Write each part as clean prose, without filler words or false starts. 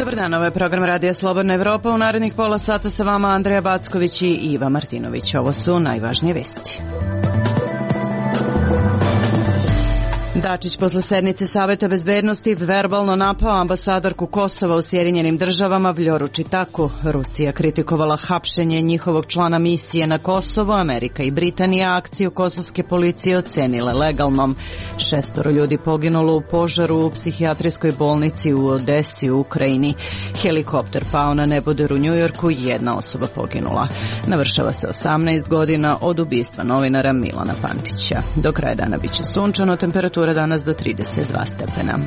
Dobar dan, ovo je program Radija Slobodna Evropa. U narednih pola sata sa vama Andreja Backović i Iva Martinović. Ovo su najvažnije vesti. Dačić posle sednice Saveta bezbednosti verbalno napao ambasadorku Kosova u Sjedinjenim državama Vljoru Čitaku. Rusija kritikovala hapšenje njihovog člana misije na Kosovo. Amerika i Britanija akciju kosovske policije ocenile legalnom. 6 ljudi poginulo u požaru u psihijatrijskoj bolnici u Odesi u Ukrajini. Helikopter pao na neboder u Njujorku, 1 osoba poginula. Navršava se 18 godina od ubistva novinara Milana Pantića. Do kraja dana biće sunčano, temperatura danas do 32 stepena.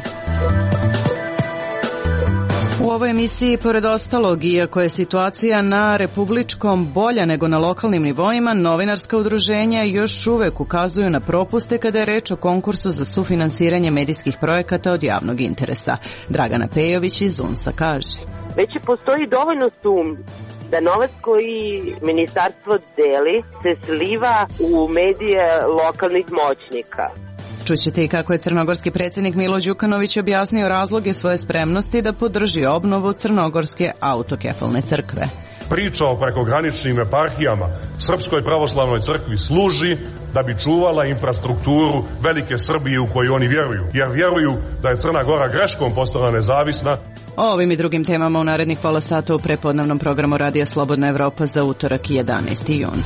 U ovoj emisiji, pored ostalog, iako je situacija na republičkom bolja nego na lokalnim nivoima, novinarska udruženja još uvek ukazuju na propuste kada je reč o konkursu za sufinansiranje medijskih projekata od javnog interesa. Dragana Pejović iz UNS-a kaže: Već postoji dovoljno sumnji da novac koji ministarstvo deli se sliva u medije lokalnih moćnika. Čućete i kako je crnogorski predsjednik Milo Đukanović objasnio razloge svoje spremnosti da podrži obnovu Crnogorske autokefalne crkve. Priča o prekograničnim eparhijama Srpskoj pravoslavnoj crkvi služi da bi čuvala infrastrukturu velike Srbije u koju oni vjeruju, jer vjeruju da je Crna Gora greškom postala nezavisna. O ovim i drugim temama u narednih pola sata u prepodnevnom programu Radija Slobodna Evropa za utorak 11. jun.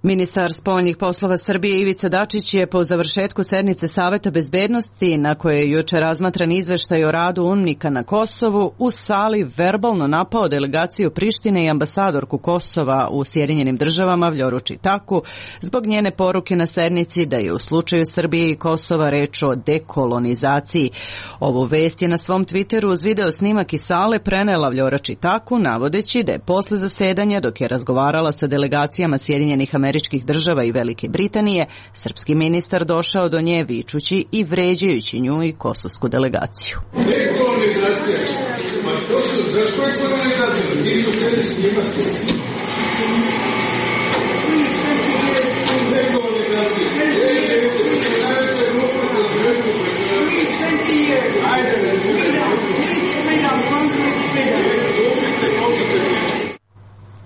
Ministar spoljnih poslova Srbije Ivica Dačić je po završetku sednice Saveta bezbednosti, na kojoj je juče razmatran izveštaj o radu UNMIK-a na Kosovu, u sali verbalno napao delegaciju Prištine i ambasadorku Kosova u Sjedinjenim državama Vljoru Čitaku zbog njene poruke na sednici da je u slučaju Srbije i Kosova reč o dekolonizaciji. Ovu vest je na svom Twitteru uz video snimak iz sale prenela Vljora Čitaku, navodeći da je posle zasedanja, dok je razgovarala sa delegacijama Sjedinjenih Američkih država i Velike Britanije, srpski ministar došao do nje vičući i vređajući nju i kosovsku delegaciju. Dekolonizacija. Ma to su, zašto je kolonizacija? Nisu htjeli snimati. Dekolonizacija.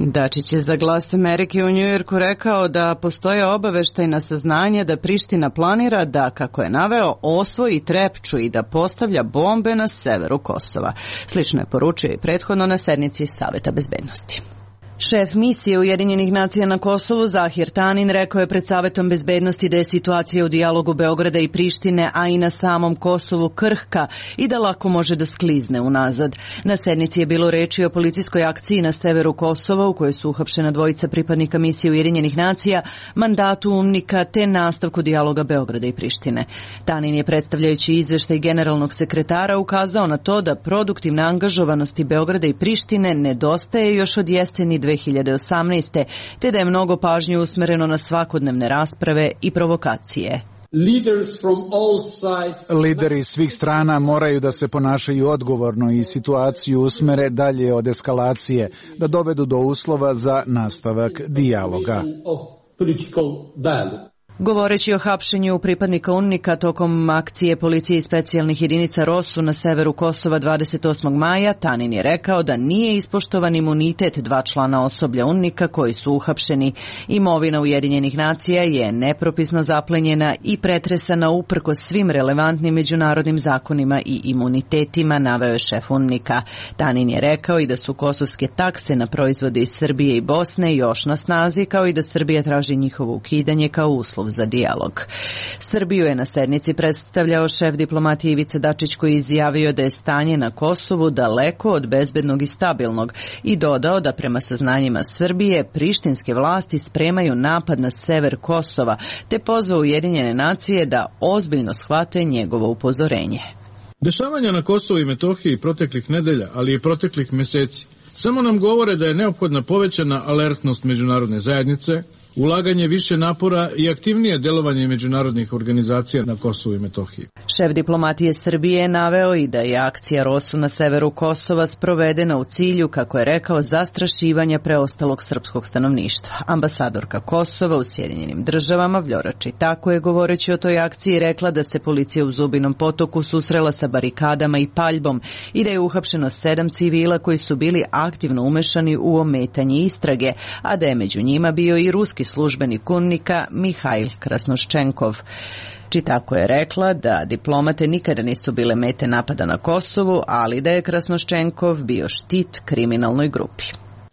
Dačić je za Glas Amerike u Njujorku rekao da postoje obaveštajna saznanja da Priština planira da, kako je naveo, osvoji Trepču i da postavlja bombe na severu Kosova. Slično je poručio i prethodno na sednici Saveta bezbednosti. Šef misije Ujedinjenih nacija na Kosovu Zahir Tanin rekao je pred Savetom bezbednosti da je situacija u dijalogu Beograda i Prištine, a i na samom Kosovu krhka i da lako može da sklizne unazad. Na sednici je bilo reči o policijskoj akciji na severu Kosova u kojoj su uhapšena 2 pripadnika misije Ujedinjenih nacija, mandatu UNMIK-a te nastavku dijaloga Beograda i Prištine. Tanin je, predstavljajući izveštaj generalnog sekretara, ukazao na to da produktivna angažovanosti Beograda i Prištine nedostaje još od jeseni 2018. te da je mnogo pažnje usmereno na svakodnevne rasprave i provokacije. Lideri svih strana moraju da se ponašaju odgovorno i situaciju usmere dalje od eskalacije, da dovedu do uslova za nastavak dijaloga. Govoreći o hapšenju pripadnika UNMIK-a tokom akcije policije i specijalnih jedinica ROSU na severu Kosova 28. maja, Tanin je rekao da nije ispoštovan imunitet 2 člana osoblja UNMIK-a koji su uhapšeni. Imovina Ujedinjenih nacija je nepropisno zaplenjena i pretresana uprkos svim relevantnim međunarodnim zakonima i imunitetima, naveo je šef UNMIK-a. Tanin je rekao i da su kosovske takse na proizvode iz Srbije i Bosne još na snazi, kao i da Srbija traži njihovo ukidanje kao uslov za dijalog. Srbiju je na sednici predstavljao šef diplomatije Ivica Dačić, koji je izjavio da je stanje na Kosovu daleko od bezbednog i stabilnog i dodao da prema saznanjima Srbije prištinske vlasti spremaju napad na sever Kosova, te pozvao Ujedinjene nacije da ozbiljno shvate njegovo upozorenje. Dešavanja na Kosovu i Metohiji proteklih nedelja, ali i proteklih meseci, samo nam govore da je neophodna povećana alertnost međunarodne zajednice, ulaganje više napora i aktivnije delovanje međunarodnih organizacija na Kosovu i Metohiji. Šef diplomatije Srbije je naveo i da je akcija ROSU na severu Kosova sprovedena u cilju, kako je rekao, zastrašivanja preostalog srpskog stanovništva. Ambasadorka Kosova u Sjedinjenim Državama Vljora Čitaku je, govoreći o toj akciji, rekla da se policija u Zubinom Potoku susrela sa barikadama i paljbom i da je uhapšeno 7 civila koji su bili aktivno umešani u ometanje istrage, a da je među njima bio i ruski službenik UNMIK-a Mihail Krasnoščenkov. Čitako je rekla da diplomate nikada nisu bile mete napada na Kosovu, ali da je Krasnoščenkov bio štit kriminalnoj grupi.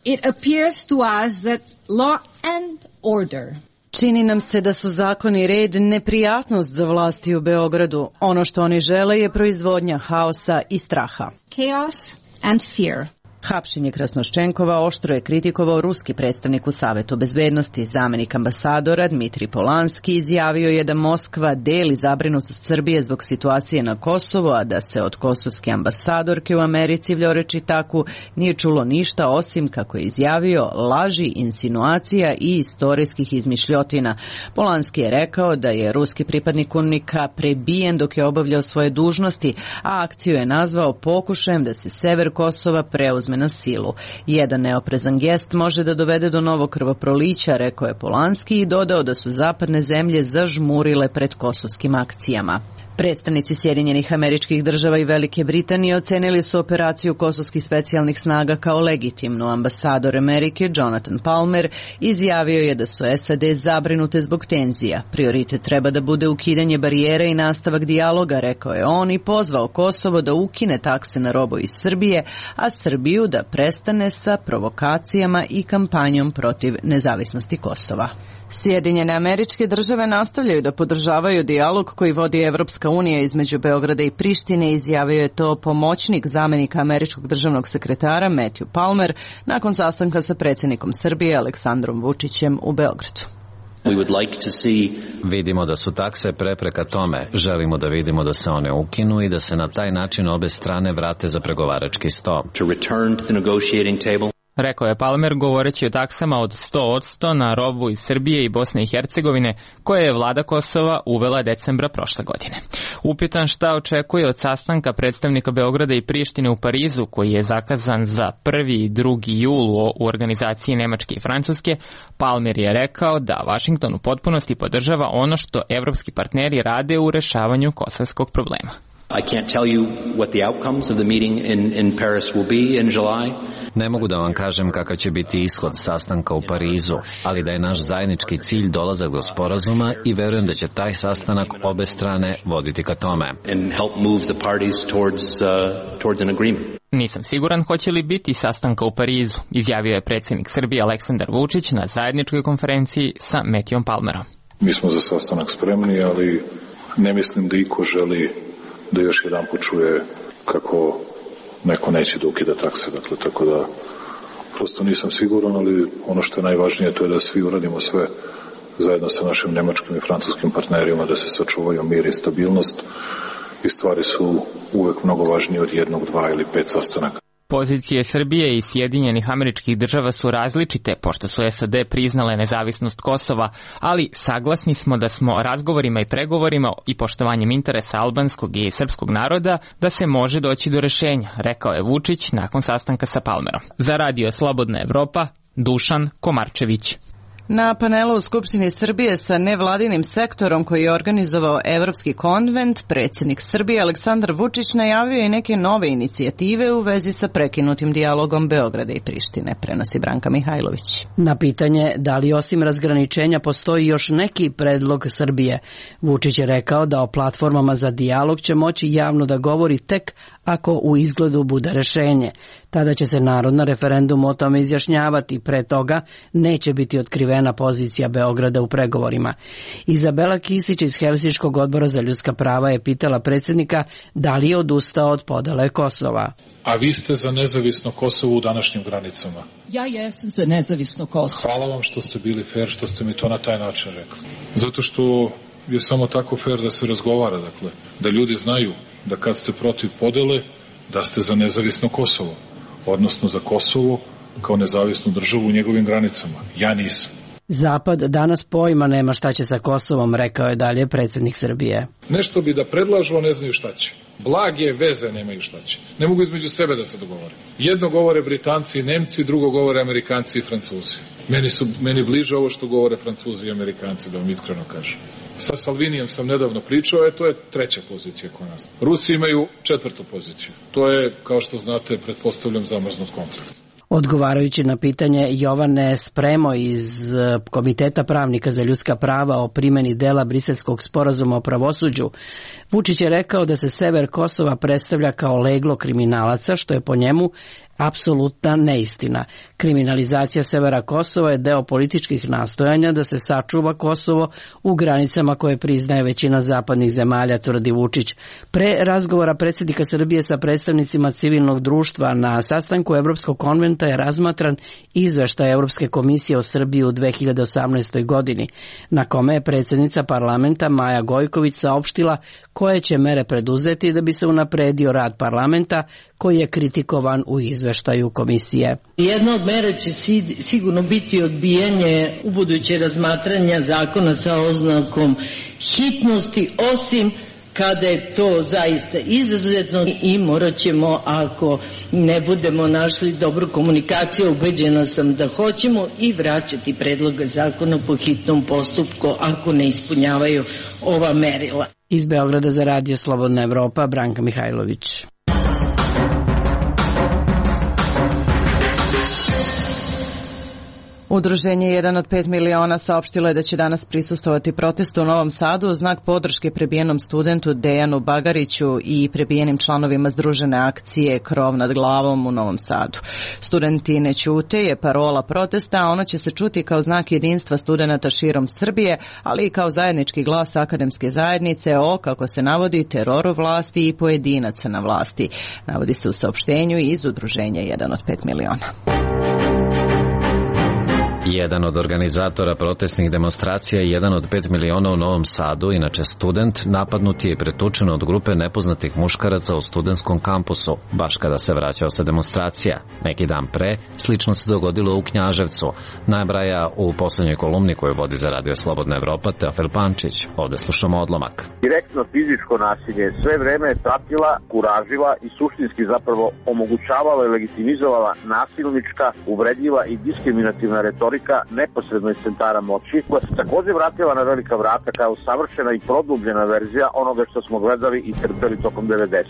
It appears to us that law and order. Čini nam se da su zakon i red neprijatnost za vlasti u Beogradu. Ono što oni žele je proizvodnja haosa i straha. Chaos and fear. Hapšenje Krasnoščenkova oštro je kritikovao ruski predstavnik u Savetu bezbednosti. Zamenik ambasadora Dmitrij Polanski izjavio je da Moskva deli zabrinutost Srbije zbog situacije na Kosovu, a da se od kosovske ambasadorke u Americi Vljore Čitaku nije čulo ništa osim, kako je izjavio, laži, insinuacija i istorijskih izmišljotina. Polanski je rekao da je ruski pripadnik UNMIK-a prebijen dok je obavljao svoje dužnosti, a akciju je nazvao pokušajem da se sever Kosova preuzme na silu. Jedan neoprezan gest može da dovede do novog krvoprolića, rekao je Polanski i dodao da su zapadne zemlje zažmurile pred kosovskim akcijama. Predstavnici Sjedinjenih Američkih Država i Velike Britanije ocenili su operaciju kosovskih specijalnih snaga kao legitimnu. Ambasador Amerike Jonathan Palmer izjavio je da su SAD zabrinute zbog tenzija. Prioritet treba da bude ukidanje barijere i nastavak dijaloga, rekao je on, i pozvao Kosovo da ukine takse na robu iz Srbije, a Srbiju da prestane sa provokacijama i kampanjom protiv nezavisnosti Kosova. Sjedinjene Američke Države nastavljaju da podržavaju dijalog koji vodi Evropska unija između Beograda i Prištine, izjavio je to pomoćnik zamenika američkog državnog sekretara Matthew Palmer nakon sastanka sa predsjednikom Srbije Aleksandrom Vučićem u Beogradu. Vidimo da su takse prepreka tome. Želimo da vidimo da se one ukinu i da se na taj način obe strane vrate za pregovarački sto. Rekao je Palmer govoreći o taksama od 100% na robu iz Srbije i Bosne i Hercegovine koje je vlada Kosova uvela decembra prošle godine. Upitan šta očekuje od sastanka predstavnika Beograda i Prištine u Parizu koji je zakazan za 1. i 2. jul u organizaciji Nemačke i Francuske, Palmer je rekao da Washington u potpunosti podržava ono što evropski partneri rade u rešavanju kosovskog problema. I can't tell you what the outcomes of the meeting in Paris will be in July. Ne mogu da vam kažem kakav će biti ishod sastanka u Parizu, ali da je naš zajednički cilj dolazak do sporazuma i verujem da će taj sastanak obe strane voditi ka tome. And help move the parties towards an agreement. Nisam siguran hoće li biti sastanka u Parizu, izjavio je predsjednik Srbije Aleksandar Vučić na zajedničkoj konferenciji sa Matthewom Palmerom. Mi smo za sastanak spremni, ali ne mislim da iko želi da još jedan počuje kako neko neće da ukida takse, dakle, tako da prosto nisam siguran, ali ono što je najvažnije to je da svi uradimo sve zajedno sa našim nemačkim i francuskim partnerima da se sačuvaju mir i stabilnost i stvari su uvek mnogo važnije od 1, 2 ili 5 sastanaka. Pozicije Srbije i Sjedinjenih Američkih Država su različite, pošto su SAD priznale nezavisnost Kosova, ali saglasni smo da smo razgovorima i pregovorima i poštovanjem interesa albanskog i srpskog naroda da se može doći do rešenja, rekao je Vučić nakon sastanka sa Palmerom. Za Radio Slobodna Evropa, Dušan Komarčević. Na panelu u Skupštini Srbije sa nevladinim sektorom koji je organizovao Evropski konvent, predsjednik Srbije Aleksandar Vučić najavio i neke nove inicijative u vezi sa prekinutim dijalogom Beograda i Prištine, prenosi Branka Mihajlović. Na pitanje da li osim razgraničenja postoji još neki predlog Srbije, Vučić je rekao da o platformama za dijalog će moći javno da govori tek ako u izgledu bude rešenje. Tada će se narod na referendumu o tome izjašnjavati, pre toga neće biti otkrivena pozicija Beograda u pregovorima. Izabela Kisić iz Helsinškog odbora za ljudska prava je pitala predsjednika da li je odustao od podele Kosova. A vi ste za nezavisno Kosovo u današnjim granicama? Ja jesam za nezavisno Kosovo. Hvala vam što ste bili fair, što ste mi to na taj način rekli. Zato što je samo tako fair da se razgovara, dakle, da ljudi znaju da kad ste protiv podele, da ste za nezavisno Kosovo, odnosno za Kosovo kao nezavisnu državu u njegovim granicama. Ja nisam. Zapad danas pojma nema šta će sa Kosovom, rekao je dalje predsjednik Srbije. Nešto bi da predlažu, a ne znaju šta će. Blage veze nemaju šta će. Ne mogu između sebe da se dogovore. Jedno govore Britanci i Nemci, drugo govore Amerikanci i Francuzi. Meni bliže ovo što govore Francuzi i Amerikanci, da vam iskreno kažem. Sa Salvinijem sam nedavno pričao, to je treća pozicija kod nas. Rusi imaju četvrtu poziciju. To je, kao što znate, pretpostavljam zamrznut konflikt. Odgovarajući na pitanje Jovane Spremo iz Komiteta pravnika za ljudska prava o primjeni dela Briselskog sporazuma o pravosuđu, Vučić je rekao da se sever Kosova predstavlja kao leglo kriminalaca, što je po njemu apsolutna neistina. Kriminalizacija severa Kosova je deo političkih nastojanja da se sačuva Kosovo u granicama koje priznaje većina zapadnih zemalja, tvrdi Vučić. Pre razgovora predsjednika Srbije sa predstavnicima civilnog društva na sastanku Evropskog konventa je razmatran izveštaj Evropske komisije o Srbiji u 2018. godini, na kome je predsjednica parlamenta Maja Gojković saopštila koje će mere preduzeti da bi se unapredio rad parlamenta, koji je kritikovan u izveštaju komisije. Jedna od mera će sigurno biti odbijanje ubuduće razmatranja zakona sa oznakom hitnosti, osim kada je to zaista izuzetno i morat ćemo, ako ne budemo našli dobru komunikaciju, ubeđena sam da hoćemo, i vraćati predloga zakona po hitnom postupku ako ne ispunjavaju ova merila. Iz Beograda za Radio Slobodna Evropa, Branka Mihajlović. Udruženje 1 od 5 miliona saopštilo je da će danas prisustvovati protestu u Novom Sadu u znak podrške prebijenom studentu Dejanu Bagariću i prebijenim članovima združene akcije Krov nad glavom u Novom Sadu. Studenti ne ćute je parola protesta, a ona će se čuti kao znak jedinstva studenata širom Srbije, ali i kao zajednički glas akademske zajednice o, kako se navodi, teroru vlasti i pojedinaca na vlasti. Navodi se u saopštenju iz Udruženja 1 od 5 miliona. Jedan od organizatora protestnih demonstracija i 1 od 5 miliona u Novom Sadu, inače student, napadnut je i pretučen od grupe nepoznatih muškaraca u studentskom kampusu, baš kada se vraćao sa demonstracija. Neki dan pre, slično se dogodilo u Knjaževcu, nabraja u poslednjoj kolumni koju vodi za Radio Slobodna Evropa Teofil Pančić. Ovde slušamo odlomak. Direktno fizičko nasilje sve vreme je pratila, kuražila i suštinski zapravo omogućavala i legitimizovala nasilnička, uvredljiva i diskriminativna retorika neposredno iz centara moći, koja se također vratila na velika vrata kao savršena i produbljena verzija onoga što smo gledali i trpeli tokom 90.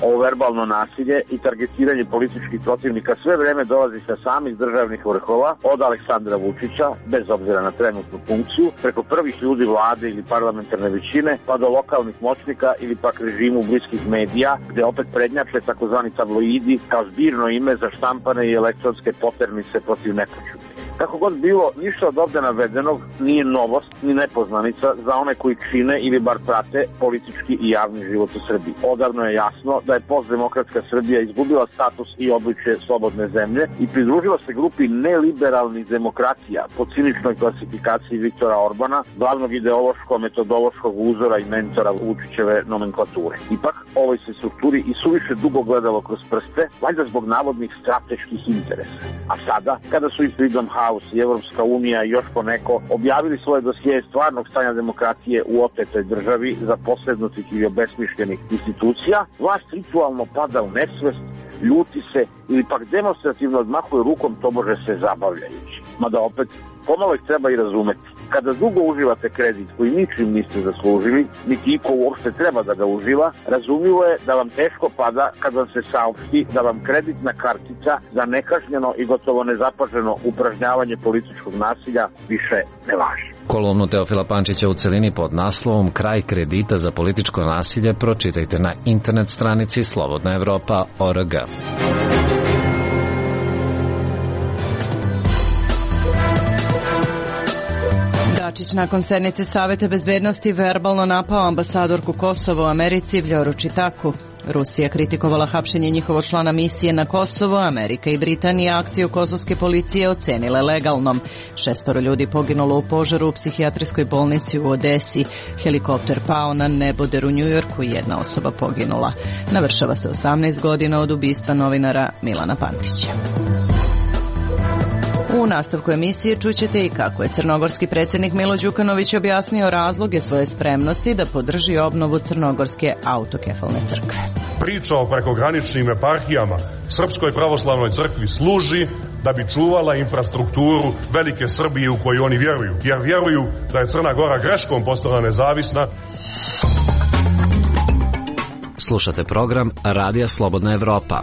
Ovo verbalno nasilje i targetiranje političkih protivnika sve vreme dolazi sa samih državnih vrhova, od Aleksandra Vučića, bez obzira na trenutnu funkciju, preko prvih ljudi vlade ili parlamentarne većine, pa do lokalnih moćnika ili pak režimu bliskih medija, gde opet prednjače takozvani tabloidi kao zbirno ime za štampane i elektronske poternice protiv nepoćudnih. Kako god bilo, ništa od ovde navedenog nije novost ni nepoznanica za one koji čine ili bar prate politički i javni život u Srbiji. Odavno je jasno da je postdemokratska Srbija izgubila status i obličje slobodne zemlje i pridružila se grupi neliberalnih demokratija po ciničnoj klasifikaciji Viktora Orbana, glavnog ideološko-metodološkog uzora i mentora Vučićeve nomenklature. Ipak, ovoj se strukturi i suviše dugo gledalo kroz prste, valjda zbog navodnih strateških interesa. A sada, kada su i Freedom House i Evropska unija i još poneko objavili svoje dosije stvarnog stanja demokratije u otetoj državi za posrednutih i obesmišljenih institucija, vlast ritualno pada u nesvest, ljuti se ili pak demonstrativno odmahuje rukom, tobože se zabavljajući. Mada opet, pomalo ih treba i razumeti. Kada dugo uživate kredit koji ničim niste zaslužili, niti iko uopšte treba da ga uživa, razumljivo je da vam teško pada kad vam se saopšti da vam kreditna kartica za nekažnjeno i gotovo nezapaženo upražnjavanje političkog nasilja više ne važi. Kolumnu Teofila Pančića u celini pod naslovom Kraj kredita za političko nasilje pročitajte na internet stranici slobodnaevropa.org. Dačić nakon sednice Saveta bezbednosti verbalno napao ambasadorku Kosova u Americi Vljoru Čitaku. Rusija kritikovala hapšenje njihovog člana misije na Kosovo, Amerika i Britanija akciju kosovske policije ocenile legalnom. 6 ljudi poginulo u požaru u psihijatrijskoj bolnici u Odesi. Helikopter pao na neboder u Njujorku i 1 osoba poginula. Navršava se 18 godina od ubistva novinara Milana Pantića. U nastavku emisije čućete i kako je crnogorski predsjednik Milo Đukanović objasnio razloge svoje spremnosti da podrži obnovu Crnogorske autokefalne crkve. Priča o prekograničnim eparhijama Srpskoj pravoslavnoj crkvi služi da bi čuvala infrastrukturu velike Srbije u koju oni vjeruju, jer vjeruju da je Crna Gora greškom postala nezavisna. Slušate program Radija Slobodna Evropa.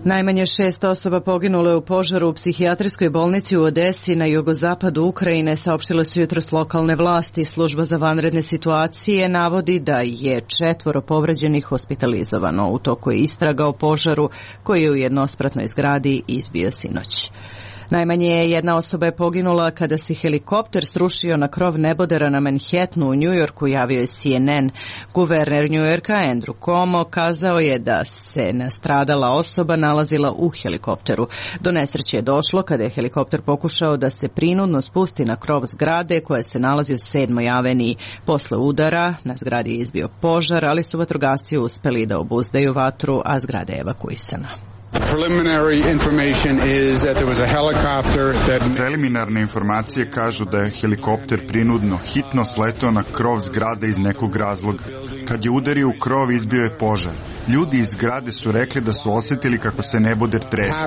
Najmanje 6 osoba poginulo je u požaru u psihijatrijskoj bolnici u Odesi na jugozapadu Ukrajine, saopštile su jutros lokalne vlasti. Služba za vanredne situacije navodi da je 4 povređenih hospitalizovano. U toku je istraga o požaru koji je u jednospratnoj zgradi izbio sinoć. Najmanje jedna osoba je poginula kada se helikopter srušio na krov nebodera na Manhattanu u Njujorku, javio je CNN. Guverner Njujorka Andrew Cuomo kazao je da se nastradala osoba nalazila u helikopteru. Do nesreće je došlo kada je helikopter pokušao da se prinudno spusti na krov zgrade koja se nalazi u 7. aveniji. Posle udara na zgradi je izbio požar, ali su vatrogasci uspeli da obuzdaju vatru, a zgrada je evakuisana. Preliminarne informacije kažu da je helikopter prinudno hitno sletao na krov zgrade iz nekog razloga. Kad je udario u krov, izbio je požar. Ljudi iz zgrade su rekli da su osjetili kako se neboder trese.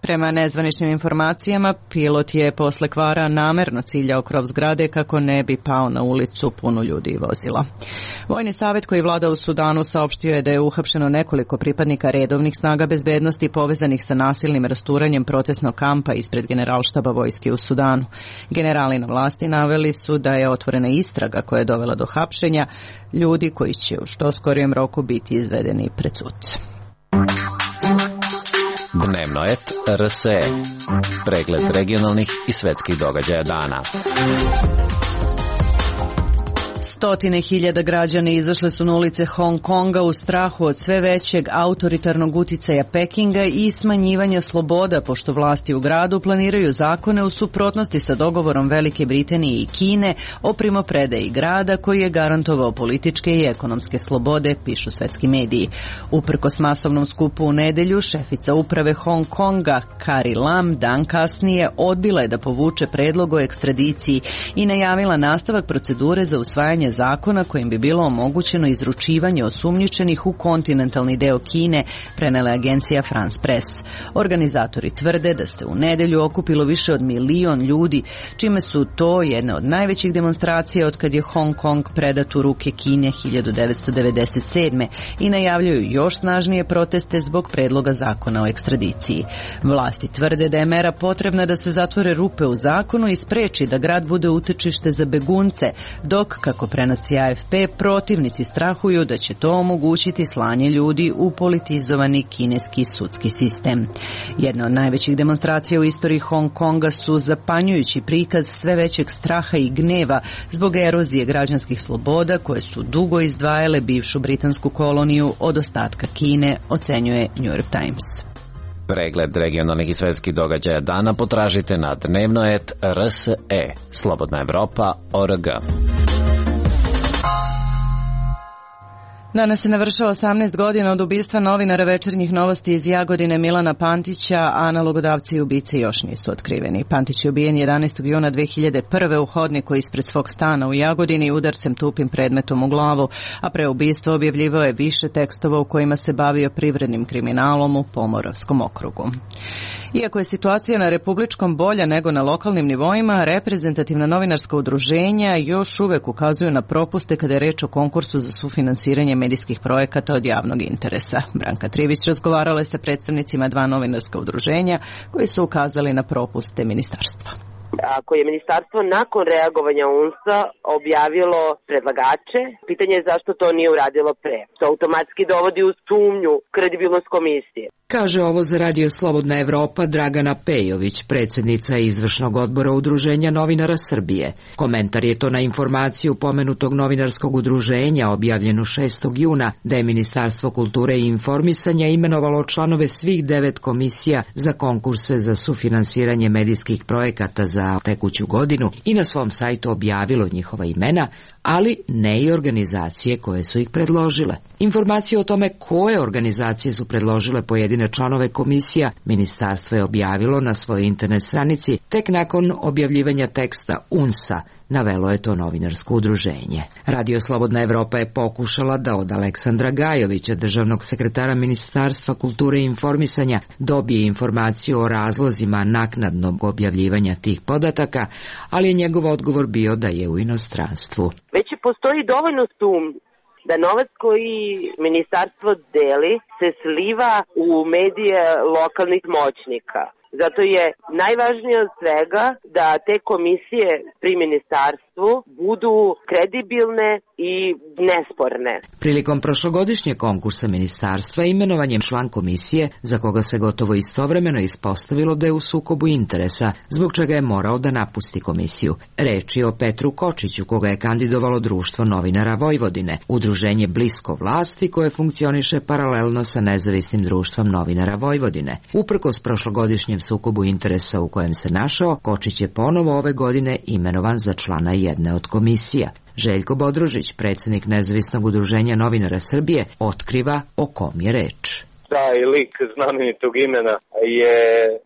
Prema nezvaničnim informacijama, pilot je posle kvara namerno ciljao krov zgrade kako ne bi pao na ulicu punu ljudi i vozila. Vojni savjet koji vlada u Sudanu saopštio je da je uhapšeno nekoliko pripadnika redovnih snaga bezbednosti povezanih sa nasilnim rasturanjem protestnog kampa ispred Generalštaba vojske u Sudanu. Generali na vlasti naveli su da je otvorena istraga koja je dovela do hapšenja ljudi koji će u što skorijem roku biti izvedeni pred sud. Dnevnoet RSE. Pregled regionalnih i svetskih događaja dana. Stotine hiljada građana izašle su na ulice Hong Konga u strahu od sve većeg autoritarnog uticaja Pekinga i smanjivanja sloboda, pošto vlasti u gradu planiraju zakone u suprotnosti sa dogovorom Velike Britanije i Kine o primopredaji grada koji je garantovao političke i ekonomske slobode, pišu svetski mediji. Uprkos masovnom skupu u nedelju, šefica uprave Hong Konga Carrie Lam dan kasnije odbila je da povuče predlog o ekstradiciji i najavila nastavak procedure za usvajanje zakona kojim bi bilo omogućeno izručivanje osumnjičenih u kontinentalni deo Kine, prenela je agencija France Press. Organizatori tvrde da se u nedelju okupilo više od 1 milion ljudi, čime su to jedne od najvećih demonstracija od kad je Hong Kong predat u ruke Kine 1997. i najavljuju još snažnije proteste zbog predloga zakona o ekstradiciji. Vlasti tvrde da je mera potrebna da se zatvore rupe u zakonu i spreči da grad bude utočište za begunce, dok, kako prenosi AFP, protivnici strahuju da će to omogućiti slanje ljudi u politizovani kineski sudski sistem. Jedna od najvećih demonstracija u istoriji Hong Konga su zapanjujući prikaz sve većeg straha i gneva zbog erozije građanskih sloboda koje su dugo izdvajale bivšu britansku koloniju od ostatka Kine, ocenjuje New York Times. Pregled regionalnih i svetskih događaja dana potražite na dnevnoet RSE, Slobodna Evropa.org. Danas se navršava 18 godina od ubistva novinara Večernjih novosti iz Jagodine Milana Pantića, a nalogodavci i ubice još nisu otkriveni. Pantić je ubijen 11. juna 2001. u hodniku ispred svog stana u Jagodini udarcem tupim predmetom u glavu, a pre ubistva objavljivao je više tekstova u kojima se bavio privrednim kriminalom u Pomoravskom okrugu. Iako je situacija na republičkom bolja nego na lokalnim nivoima, reprezentativna novinarska udruženja još uvek ukazuju na propuste kada je reč o konkursu za sufinansiranje medijskih projekata od javnog interesa. Branka Trivić razgovarala je sa predstavnicima 2 novinarska udruženja koji su ukazali na propuste ministarstva. Ako je ministarstvo nakon reagovanja UNS-a objavilo predlagače, pitanje je zašto to nije uradilo pre. To automatski dovodi u sumnju kredibilnost komisije. Kaže ovo za Radio Slobodna Evropa Dragana Pejović, predsjednica izvršnog odbora Udruženja novinara Srbije. Komentar je to na informaciju pomenutog novinarskog udruženja objavljenu 6. juna da je Ministarstvo kulture i informisanja imenovalo članove svih 9 komisija za konkurse za sufinansiranje medijskih projekata za tekuću godinu i na svom sajtu objavilo njihova imena, ali ne i organizacije koje su ih predložile. Informacije o tome koje organizacije su predložile pojedine članove komisija, ministarstvo je objavilo na svojoj internet stranici tek nakon objavljivanja teksta UNS-a, navelo je to novinarsko udruženje. Radio Slobodna Evropa je pokušala da od Aleksandra Gajovića, državnog sekretara Ministarstva kulture i informisanja, dobije informaciju o razlozima naknadnog objavljivanja tih podataka, ali je njegov odgovor bio da je u inostranstvu. Već postoji dovoljno sumnji da novac koji ministarstvo deli se sliva u medije lokalnih moćnika. Zato je najvažnije od svega da te komisije pri ministarstvu budu kredibilne i nesporne. Prilikom prošlogodišnjeg konkursa ministarstva imenovan je član komisije za koga se gotovo istovremeno ispostavilo da je u sukobu interesa, zbog čega je morao da napusti komisiju. Reč je o Petru Kočiću, koga je kandidovalo Društvo novinara Vojvodine, udruženje blisko vlasti koje funkcioniše paralelno sa Nezavisnim društvom novinara Vojvodine. Uprkos prošlogodišnjem sukobu interesa u kojem se našao, Kočić je ponovo ove godine imenovan za člana jedne od komisija. Željko Bodružić, predsjednik Nezavisnog udruženja novinara Srbije, otkriva o kom je reč. Taj lik znamenitog imena je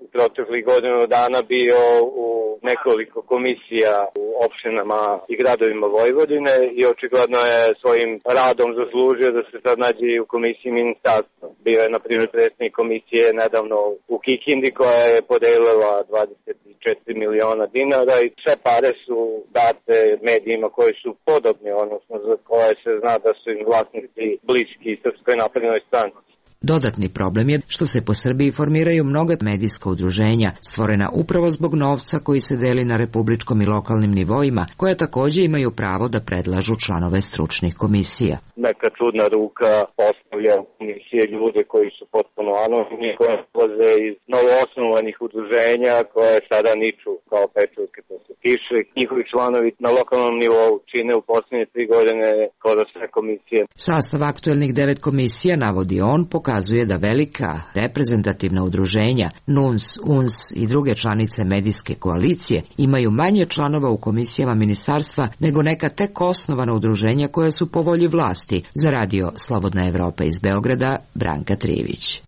u proteklih godinu dana bio u nekoliko komisija u opštinama i gradovima Vojvodine i očigledno je svojim radom zaslužio da se sad nađe i u komisiji ministarstva. Bio je, na primjer, predsjednik komisije nedavno u Kikindi koja je podelila 24 miliona dinara i sve pare su date medijima koji su podobni, odnosno za koje se zna da su im vlasnici bliski Srpskoj naprednoj stranci. Dodatni problem je što se po Srbiji formiraju mnoga medijska udruženja, stvorena upravo zbog novca koji se deli na republičkom i lokalnim nivoima, koja također imaju pravo da predlažu članove stručnih komisija. Neka čudna ruka postavlja komisije ljude koji su potpuno anonimni, koje dolaze iz novoosnovanih udruženja koje sada niču kao pečurke posle kiše. Njihovi članovi na lokalnom nivou čine u posljednje 3 godine skoro sve komisije. Sastav aktuelnih 9 komisija, navodi on, pokazuje da velika reprezentativna udruženja, NUNS, UNS i druge članice medijske koalicije imaju manje članova u komisijama ministarstva nego neka tek osnovana udruženja koja su po volji vlasti. Za Radio Slobodna Evropa iz Beograda, Branka Trivić.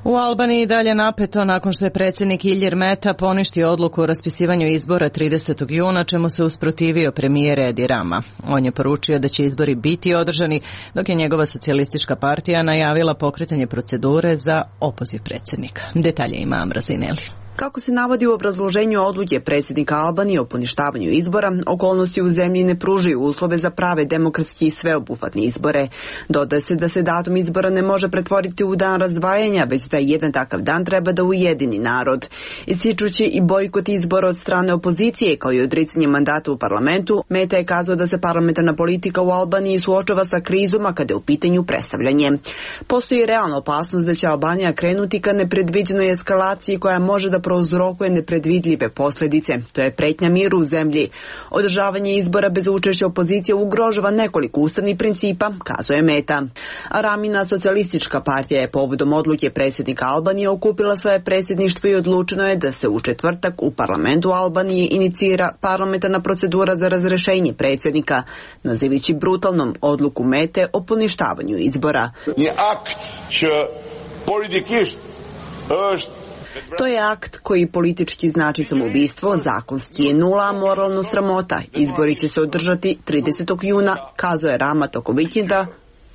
U Albaniji dalje napeto nakon što je predsjednik Ilir Meta poništio odluku o raspisivanju izbora 30. juna, čemu se usprotivio premijer Edi Rama. On je poručio da će izbori biti održani, dok je njegova socijalistička partija najavila pokretanje procedure za opoziv predsjednika. Detalje ima Amra Zineli. Kako se navodi u obrazloženju odluke predsjednika Albanije o poništavanju izbora, okolnosti u zemlji ne pružaju uslove za prave demokratski i sveobuhvatne izbore. Dodaje se da se datum izbora ne može pretvoriti u dan razdvajanja, već da jedan takav dan treba da ujedini narod. Ističući i bojkot izbora od strane opozicije, kao i odricanje mandata u parlamentu, Meta je kazao da se parlamentarna politika u Albaniji suočava sa krizom kada je u pitanju predstavljanje. Postoji realna opasnost da će Albanija krenuti ka nepredviđenoj eskalaciji koja može da prouzrokuje nepredvidljive posljedice. To je pretnja miru u zemlji. Održavanje izbora bez učešća opozicije ugrožava nekoliko ustavnih principa, kazuje Meta. A Ramina socijalistička partija je povodom odluke predsjednika Albanije okupila svoje predsjedništvo i odlučeno je da se u četvrtak u parlamentu Albanije inicira parlamentarna procedura za razrešenje predsjednika, nazivajući brutalnom odluku Mete o poništavanju izbora. To je akt koji politički znači samoubistvo, zakonski je nula, a moralno sramota. Izbori će se održati 30. juna, kazuje Rama tokom vikenda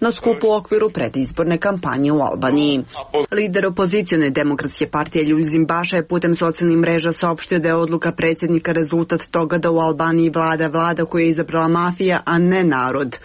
na skupu u okviru predizborne kampanje u Albaniji. Lider opozicione demokratske partije Ljuzim Baša je putem socijalnih mreža saopštio da je odluka predsjednika rezultat toga da u Albaniji vlada koju je izabrala mafija, a ne narod.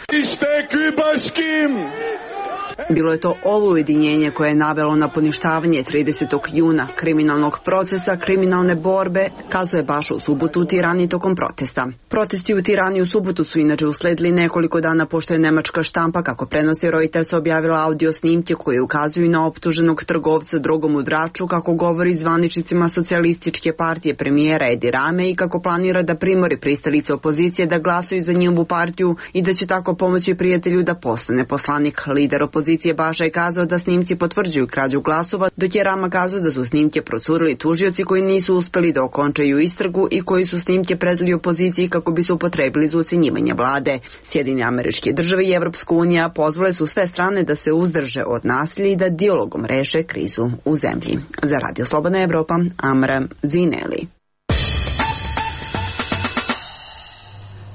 Bilo je to ovo ujedinjenje koje je navelo na poništavanje 30. juna kriminalnog procesa, kriminalne borbe, kazuje Baša u subotu u Tirani tokom protesta. Protesti u Tirani u subotu su inače usledili nekoliko dana pošto je nemačka štampa, kako prenosi Reuters, objavila audio snimke koje ukazuju na optuženog trgovca drogom u Draču, kako govori zvaničnicima socijalističke partije premijera Edi Rame i kako planira da primori pristalice opozicije da glasaju za njegovu partiju i da će tako pomoći prijatelju da postane poslanik. Lider opozicije policije Baša je kazao da snimci potvrđuju krađu glasova, dok je Rama kazao da su snimke procurili tužioci koji nisu uspeli da okončaju istragu i koji su snimke predali opoziciji kako bi se upotrebili za ucenjivanje vlade. Sjedinjene Američke Države i Evropska unija pozvale su sve strane da se uzdrže od nasilja i da dijalogom reše krizu u zemlji. Za Radio Slobodna Evropa, Amra Zineli.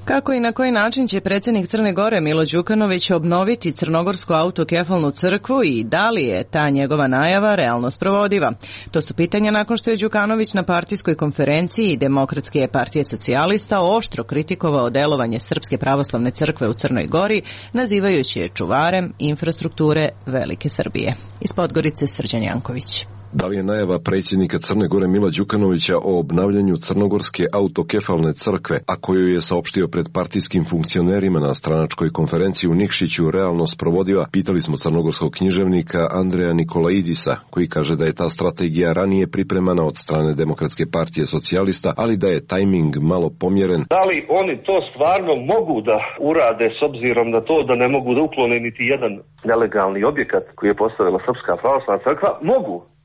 Kako i na koji način će predsjednik Crne Gore Milo Đukanović obnoviti crnogorsku autokefalnu crkvu i da li je ta njegova najava realno sprovodiva? To su pitanja nakon što je Đukanović na partijskoj konferenciji Demokratske partije socijalista oštro kritikovao delovanje Srpske pravoslavne crkve u Crnoj Gori, nazivajući je čuvarem infrastrukture Velike Srbije. Iz Podgorice Srđan Janković. Da li je najava predsjednika Crne Gore Mila Đukanovića o obnavljanju crnogorske autokefalne crkve, a koju je saopštio pred partijskim funkcionerima na stranačkoj konferenciji u Nikšiću, realno sprovodiva, pitali smo crnogorskog književnika Andreja Nikolaidisa, koji kaže da je ta strategija ranije pripremana od strane Demokratske partije socijalista, ali da je tajming malo pomjeren. Da li oni to stvarno mogu da urade s obzirom na to da ne mogu da uklone niti jedan nelegalni objekat koji je postavila Srpska pravoslavna crkva?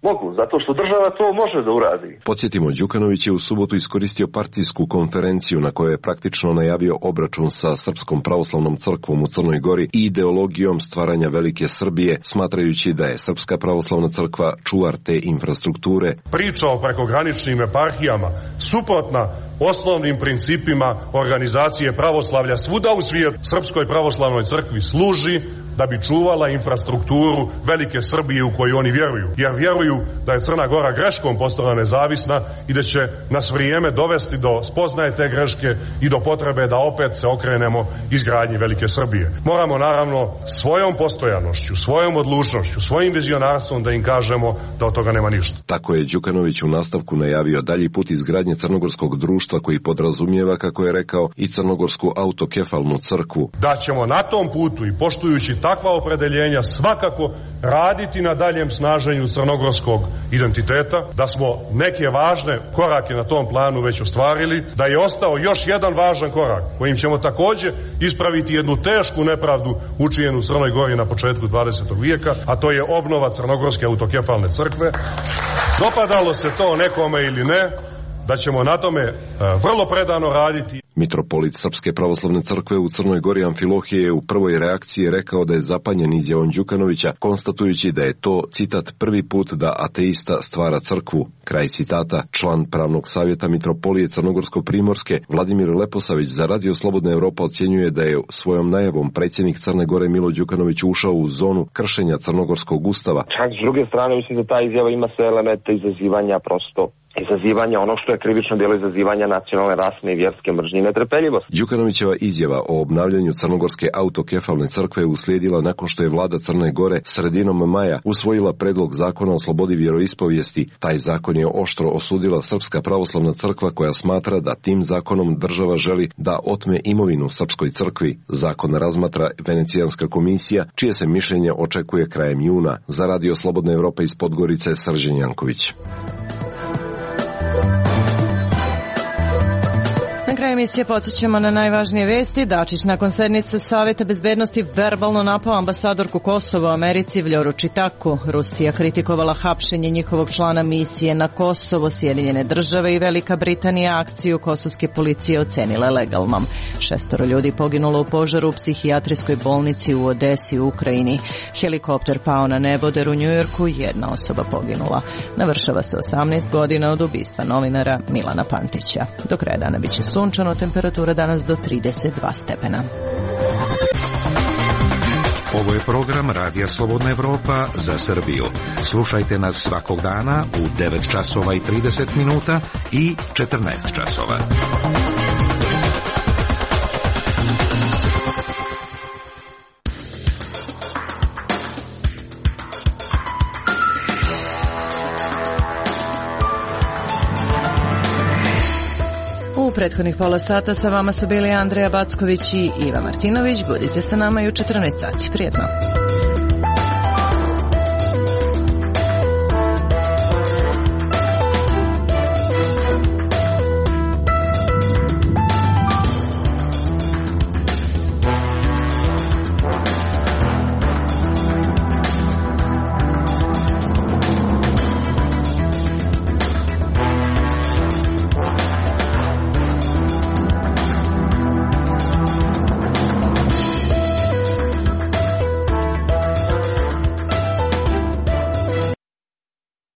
Mogu, zato što država to može da uradi. Podsjetimo, Đukanović je u subotu iskoristio partijsku konferenciju na kojoj je praktično najavio obračun sa Srpskom pravoslavnom crkvom u Crnoj Gori i ideologijom stvaranja Velike Srbije, smatrajući da je Srpska pravoslavna crkva čuvar te infrastrukture. Priča o prekograničnim eparhijama suprotna osnovnim principima organizacije pravoslavlja svuda u svijetu. Srpskoj pravoslavnoj crkvi služi da bi čuvala infrastrukturu Velike Srbije u koju oni vjeruju. Jer vjeruju da je Crna Gora greškom postala nezavisna i da će nas vrijeme dovesti do spoznaje te greške i do potrebe da opet se okrenemo izgradnji Velike Srbije. Moramo naravno svojom postojanošću, svojom odlučnošću, svojim vizionarstvom da im kažemo da od toga nema ništa. Tako je Đukanović u nastavku najavio dalji put izgradnje crnogorskog društva koji podrazumijeva, kako je rekao, i crnogorsku autokefalnu crkvu. Da ćemo na tom putu i poštujući takva opredeljenja svakako raditi na daljem snaženju crnogorskog identiteta, da smo neke važne korake na tom planu već ostvarili, da je ostao još jedan važan korak kojim ćemo također ispraviti jednu tešku nepravdu učinjenu u Crnoj Gori na početku 20. vijeka, a to je obnova crnogorske autokefalne crkve. Dopadalo se to nekome ili ne, da ćemo na tome vrlo predano raditi. Mitropolit Srpske pravoslavne crkve u Crnoj Gori Amfilohije je u prvoj reakciji rekao da je zapanjen izjavom Đukanovića, konstatujući da je to, citat, prvi put da ateista stvara crkvu. Kraj citata. Član pravnog savjeta Mitropolije Crnogorsko-Primorske Vladimir Leposavić za Radio Slobodna Evropa ocjenjuje da je svojom najavom predsjednik Crne Gore Milo Đukanović ušao u zonu kršenja crnogorskog ustava. Čak s druge strane mislim da ta izjava ima sve elemente izazivanja, prosto izazivanja ono što je krivično djelo, izazivanja nacionalne, rasne i vjerske mržnje i netrpeljivosti. Đukanovićeva izjava o obnavljanju crnogorske autokefalne crkve uslijedila nakon što je vlada Crne Gore sredinom maja usvojila predlog zakona o slobodi vjeroispovijesti. Taj zakon je oštro osudila Srpska pravoslavna crkva, koja smatra da tim zakonom država želi da otme imovinu Srpskoj crkvi. Zakon razmatra Venecijanska komisija, čije se mišljenje očekuje krajem juna. Za Radio Slobodna Evropa iz Podgorice Srđan Janković. Na kraju emisije podsjećamo na najvažnije vesti. Dačić nakon sednice Saveta bezbednosti verbalno napao ambasadorku Kosova u Americi Vljoru Čitaku. Rusija kritikovala hapšenje njihovog člana misije na Kosovo. Sjedinjene države i Velika Britanija akciju kosovske policije ocenile legalnom. 6 ljudi poginulo u požaru u psihijatrijskoj bolnici u Odesi u Ukrajini. Helikopter pao na neboder u Njujorku, 1 osoba poginula. Navršava se 18 godina od ubistva novinara Milana Pantića. Do kraja dana biće sunčano, temperatura danas do 32 stepena. Ovo je program Radija Slobodna Evropa za Srbiju. Slušajte nas svakog dana u 9 časova i 30 minuta i 14 časova. U prethodnih pola sata sa vama su bili Andreja Backović i Iva Martinović. Budite sa nama i u 14 sati. Prijetno.